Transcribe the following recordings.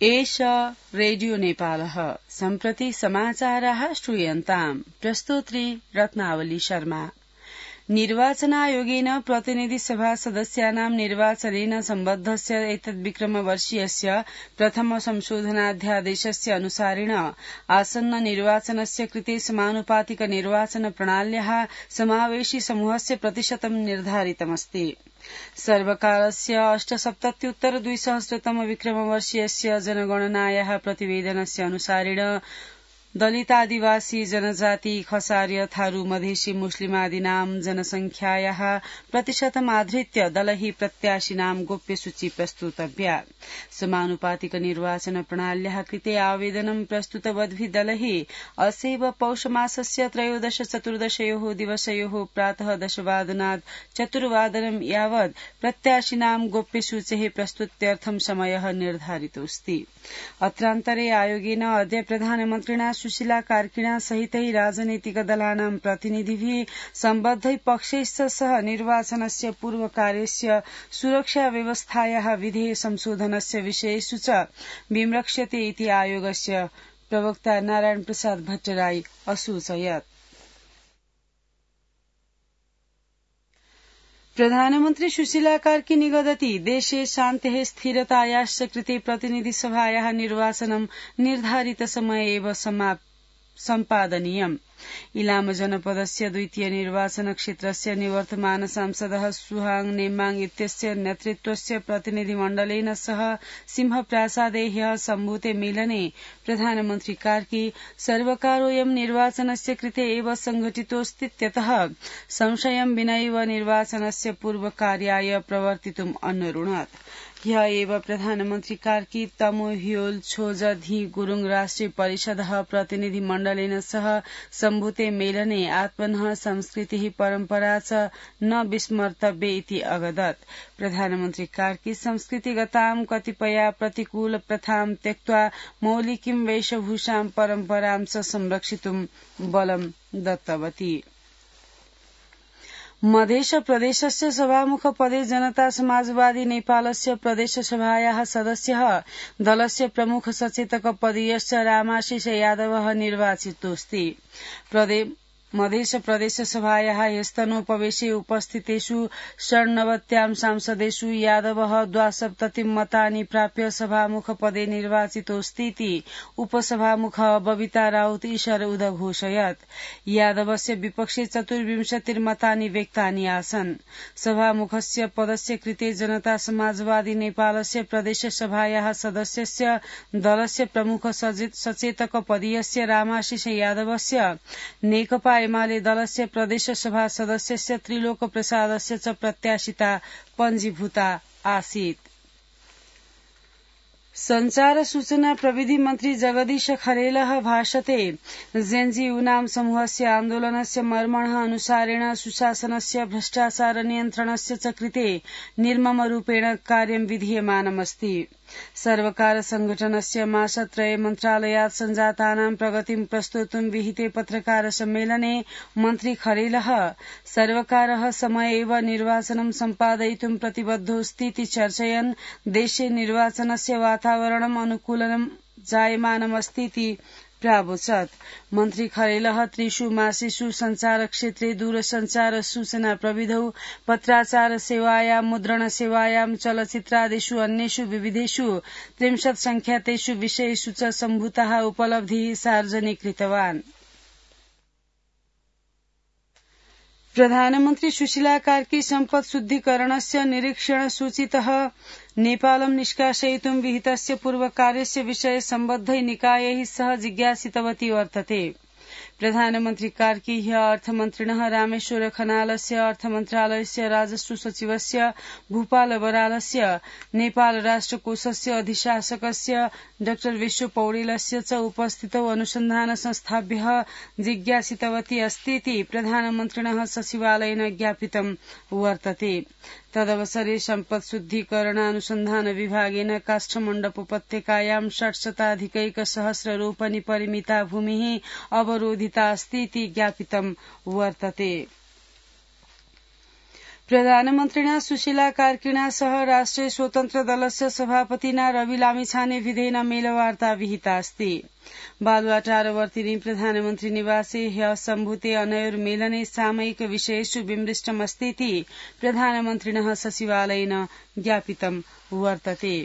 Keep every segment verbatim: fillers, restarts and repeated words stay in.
एष रेडियो नेपालः सम्प्रति समाचाराः श्रूयन्ताम्। प्रस्तोत्री रत्नावली शर्मा। निर्वाचनायोगेन प्रतिनिधिसभा सदस्यानां निर्वाचनेन सम्बद्धस्य एतद्विक्रमवर्षीयस्य प्रथम संशोधनाध्यादेशस्य अनुसारेण आसन्न निर्वाचनस्य कृते समानुपातिक निर्वाचन प्रणाल्याः समावेशि समूहस्य प्रतिशतं निर्धारितमस्ति। सर्वकारस्य अष्टसप्तत्युत्तर द्विसहस्रतम विक्रमवर्षीयस्य जनगणनायाः प्रतिवेदनस्य अनुसारेण दलितादिवासी जनजाति खसार्य थारू मधेसी मुस्लिमादीनां जनसंख्यायाः प्रतिशतमाधृत्य दलैः प्रत्याशिनां गोप्यसूची प्रस्तुतव्या। समानुपातिक निर्वाचन प्रणाल्याः कृते आवेदनं प्रस्तुतवद्भिः दलैः अस्यैव पौषमासस्य त्रयोदश चतुर्दशयोः दिवसयोः प्रातः दशवादनात् चतुर्वादनं यावत् प्रत्याशिनां गोप्यसूचेः प्रस्तुत्यर्थं समयः निर्धारितोऽस्ति। अत्रान्तरे आयोगेन अद्य प्रधानमन्त्रिणा सुशीला कार्किणा सहितै राजनैतिक दलानां प्रतिनिधिभिः सम्बद्धै पक्षैश्च सह निर्वाचनस्य पूर्वकार्यस्य सुरक्षा व्यवस्थायाः विधेय संशोधनस्य विषयेषु च विमृक्ष्यते इति आयोगस्य प्रवक्ता नारायण प्रसाद भट्टराई असूचयत्। प्रधानमन्त्री सुशीला कार्की निगदति देशे शान्तेः स्थिरतायाश्च कृते प्रतिनिधिसभायाः निर्वाचनं निर्धारितसमये एव सम्पादनीयम्। इलाम जनपदस्य द्वितीय निर्वाचन क्षेत्रस्य निवर्तमान सांसदः सुहाङ नेमाङ इत्यस्य नेतृत्वस्य प्रतिनिधिमण्डलेन सह सिंहप्रासादे ह्यः सम्भूते मेलने प्रधानमन्त्री कार्की सर्वकारोऽयं निर्वाचनस्य कृते एव संघटितोऽस्तीत्यतः संशयं विनैव निर्वाचनस्य पूर्वकार्याय प्रवर्तितुम् अन्वरुणत्। ह्यः एव प्रधानमन्त्री कार्की तमो ह्योल छोज धी गुरुङ राष्ट्रिय परिषदः प्रतिनिधिमण्डलेन सह सम्भूते मेलने आत्मनः संस्कृतिः परम्परा च न विस्मर्तव्ये इति अगदत्। प्रधानमन्त्री कार्की संस्कृतिगतां कतिपया प्रतिकूल प्रथां त्यक्त्वा मौलिकीं वेशभूषां परम्परां च संरक्षितुं बलं दत्तवती। मध्य प्रदेशस्य सभामुख पदे जनता समाजवादी नेपालस्य प्रदेशसभायाः सदस्यः दलस्य प्रमुख सचेतक पदीयश्च रामाशिष यादवः निर्वाचितोऽस्ति। मध्य प्रदेशसभायाः ह्यस्तनोपवेशे उपस्थितेषु षण्णवत्यां सांसदेषु यादवः द्वासप्ततिं मतानि प्राप्य सभामुख पदे निर्वाचितोऽस्तीति उपसभामुखः बबिता राउत ईशर उदघोषयत्। यादवस्य विपक्षे चतुर्विंशतिर्मतानि व्यक्तानि आसन्। सभामुखस्य पदस्य कृते जनता समाजवादी नेपालस्य प्रदेशसभायाः सदस्यस्य दलस्य प्रमुख सचेतक पदीयस्य रामाशिष यादवस्य नेकपा एमाले दलस्य प्रदेशसभा सदस्यस्य त्रिलोक प्रसादस्य च प्रत्याशिता पञ्जीभूता आसीत्। संचार सूचना प्रविधि मन्त्री जगदीश खरेलः भाषते जेन्जी यूनां समूहस्य आन्दोलनस्य मर्मणः अनुसारेण सुशासनस्य भ्रष्टाचार नियन्त्रणस्य च कृते निर्ममरूपेण कार्यं विधीयमानमस्ति। सर्वकार संघटनस्य मासत्रये मन्त्रालयात् सञ्जातानां प्रगतिं प्रस्तोतुं विहिते पत्रकार सम्मेलने मन्त्री खरेलः सर्वकारः समये एव निर्वाचनं सम्पादयितुं प्रतिबद्धोऽस्तीति चर्चयन् देशे निर्वाचनस्य वातावरणम् अनुकूलं जायमानमस्तीति प्रावोचत्। मन्त्री खरेलः त्रिषु मासेषु संचारक्षेत्रे दूरसञ्चार सूचना प्रविधौ पत्राचार सेवायां मुद्रण सेवायां चलचित्रादिषु अन्येषु विविधेषु त्रिंशत् संख्यातेषु विषयेषु च सम्भूताः उपलब्धिः सार्वजनिकृतवान्। प्रधानमन्त्री सुशीला कार्की सम्पत् शुद्धिकरणस्य निरीक्षण सूचितः नेपालं निष्कासयितुं विहितस्य पूर्वकार्यस्य विषये सम्बद्धै निकायैः सह जिज्ञासितवती वर्तते। प्रधानमन्त्री कार्की ह्यः अर्थमन्त्रिणः रामेश्वर खनालस्य अर्थमन्त्रालयस्य राजस्व सचिवस्य भूपाल बरालस्य नेपाल राष्ट्रकोषस्य अधिशासकस्य डाक्टर विश्व पौडेलस्य च उपस्थितौ अनुसन्धान संस्थाभ्यः जिज्ञासितवती अस्तीति प्रधानमन्त्रिणः सचिवालयेन ज्ञापितं वर्तते। तदवसरे सम्पत् शुद्धिकरणानुसन्धान विभागेन काष्ठमण्डप उपत्यकायां षट्शताधिकैकसहस्र रोपनि परिमिता भूमिः अवरोधिता अस्तीति ज्ञापितं वर्तते। प्रधानमन्त्रिणा सुशीला कार्किणा सह राष्ट्रिय स्वतन्त्र दलस्य सभापतिना रवि लामिछाने विधेन मेलवार्ता विहिता अस्ति। बालुवाटारवर्तिनि प्रधानमन्त्री निवासे ह्यः सम्भूते अनयोर्मेलने सामयिक विषयेषु विमृष्टमस्तीति प्रधानमन्त्रिणः सचिवालयेन ज्ञापितं वर्तते।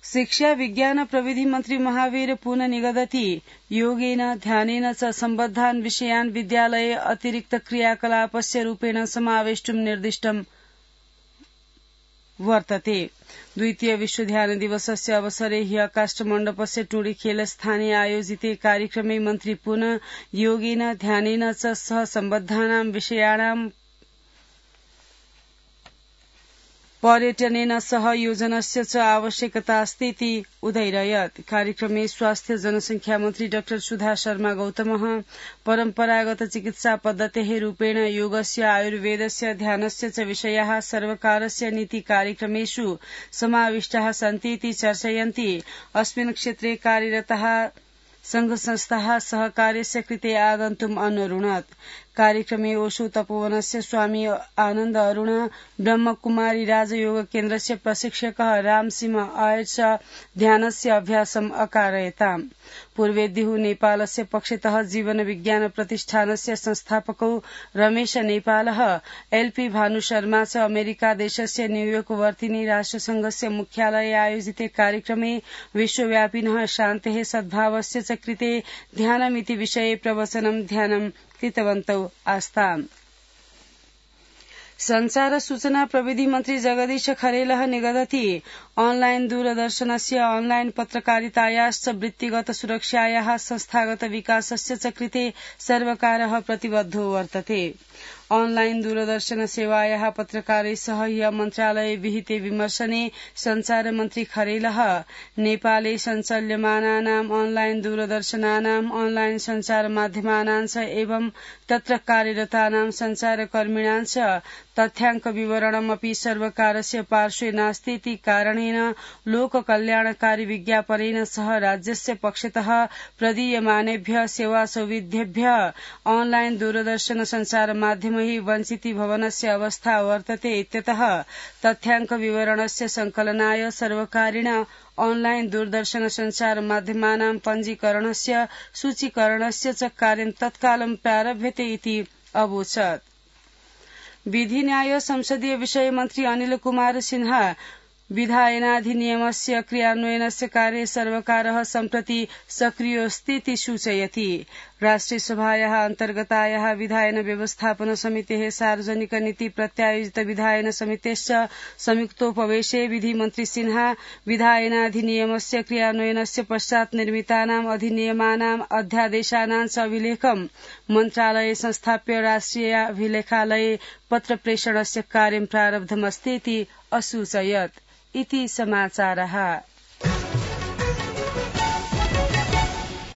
शिक्षा विज्ञान प्रविधि मन्त्री महावीर पुनः निगदति योगेन ध्यानेन च सम्बद्धान् विषयान् विद्यालये अतिरिक्त क्रियाकलापस्य रूपेण समावेष्टुं निर्दिष्टं वर्तते। द्वितीय विश्व ध्यान दिवसस्य अवसरे ह्यः काष्ठमण्डपस्य टुंडीखेल स्थाने आयोजिते कार्यक्रमे मन्त्री पुनः योगेन ध्यानेन च सह सम्बद्धानां विषयाणां पर्यटनेन सह योजनस्य च आवश्यकता अस्तीति उदयरयत्। कार्यक्रमे स्वास्थ्य जनसंख्या मन्त्री डाक्टर सुधा शर्मा गौतमः परम्परागत चिकित्सा पद्धतेः रूपेण योगस्य आयुर्वेदस्य ध्यानस्य च विषयाः सर्वकारस्य नीति कार्यक्रमेषु समाविष्टाः सन्तीति चर्चयन्ति अस्मिन् क्षेत्रे कार्यरताः संघ संस्थाः सहकार्यस्य कृते आगन्तुम् अनुरुणत्। कार्यक्रमे ओशो तपोवनस्य स्वामी आनन्द अरुण ब्रह्मकुमारी राजयोग केन्द्रस्य प्रशिक्षकः रामसिंह आयर् च ध्यानस्य अभ्यासम् अकारयताम्। पूर्वेद्युः नेपालस्य पक्षतः जीवन विज्ञान प्रतिष्ठानस्य संस्थापकौ रमेश नेपालः एलपी भानुशर्मा च अमेरिका देशस्य न्यूयोर्क वर्तिनि राष्ट्रसंघस्य मुख्यालये आयोजिते कार्यक्रमे विश्वव्यापिनः शान्तेः सद्भावस्य च कृते ध्यानमिति विषये प्रवचनं ध्यानं कृतवन्तौ आस्ताम्। संचार सूचना प्रविधि मन्त्री जगदीश खरेलः निगदति ऑनलाइन दूरदर्शनस्य ऑनलाइन पत्रकारितायाश्च वृत्तिगत सुरक्षायाः संस्थागत विकासस्य च कृते सर्वकारः प्रतिबद्धो वर्तते। ऑनलाइन दूरदर्शन सेवायाः पत्रकारैः सह ह्यः मन्त्रालये विहिते विमर्शने संचार मन्त्री खरेलः नेपाले सञ्चाल्यमानानाम् ऑनलाइन दूरदर्शनानाम् ऑनलाइन संचार माध्यमानां च एवं तत्र कार्यरतानां संचारकर्मिणां च तथ्याङ्क विवरणमपि सर्वकारस्य पार्श्वे नास्तीति कारणेन लोककल्याणकारी विज्ञापनेन सह राज्यस्य पक्षतः प्रदीयमानेभ्यः सेवासौविध्येभ्यः ऑनलाइन दूरदर्शन संचार माध्यमैः वञ्चिति भवनस्य अवस्था वर्तते इत्यतः तथ्याङ्क विवरणस्य संकलनाय सर्वकारेण ऑनलाइन दूरदर्शन संचार माध्यमानां पञ्जीकरणस्य सूचीकरणस्य च कार्यं तत्कालं प्रारभ्यते इति अवोचत्। विधि न्याय संसदीय विषय मन्त्री अनिल कुमार सिन्हा विधायनाधिनियमस्य क्रियान्वयनस्य कार्ये सर्वकारः सम्प्रति सक्रियोऽस्तीति सूचयति। राष्ट्रियसभायाः अन्तर्गतायाः विधायन व्यवस्थापन समितेः सार्वजनिक नीति प्रत्यायोजित विधायन समितेश्च संयुक्तोपवेशे विधिमन्त्री सिन्हा विधायनाधिनियमस्य क्रियान्वयनस्य पश्चात् निर्मितानाम् अधिनियमानाम् अध्यादेशानां च अभिलेखं मन्त्रालये संस्थाप्य राष्ट्रियाभिलेखालये पत्रप्रेषणस्य कार्यं प्रारब्धमस्तीति असूचयत्। इति समाचारः।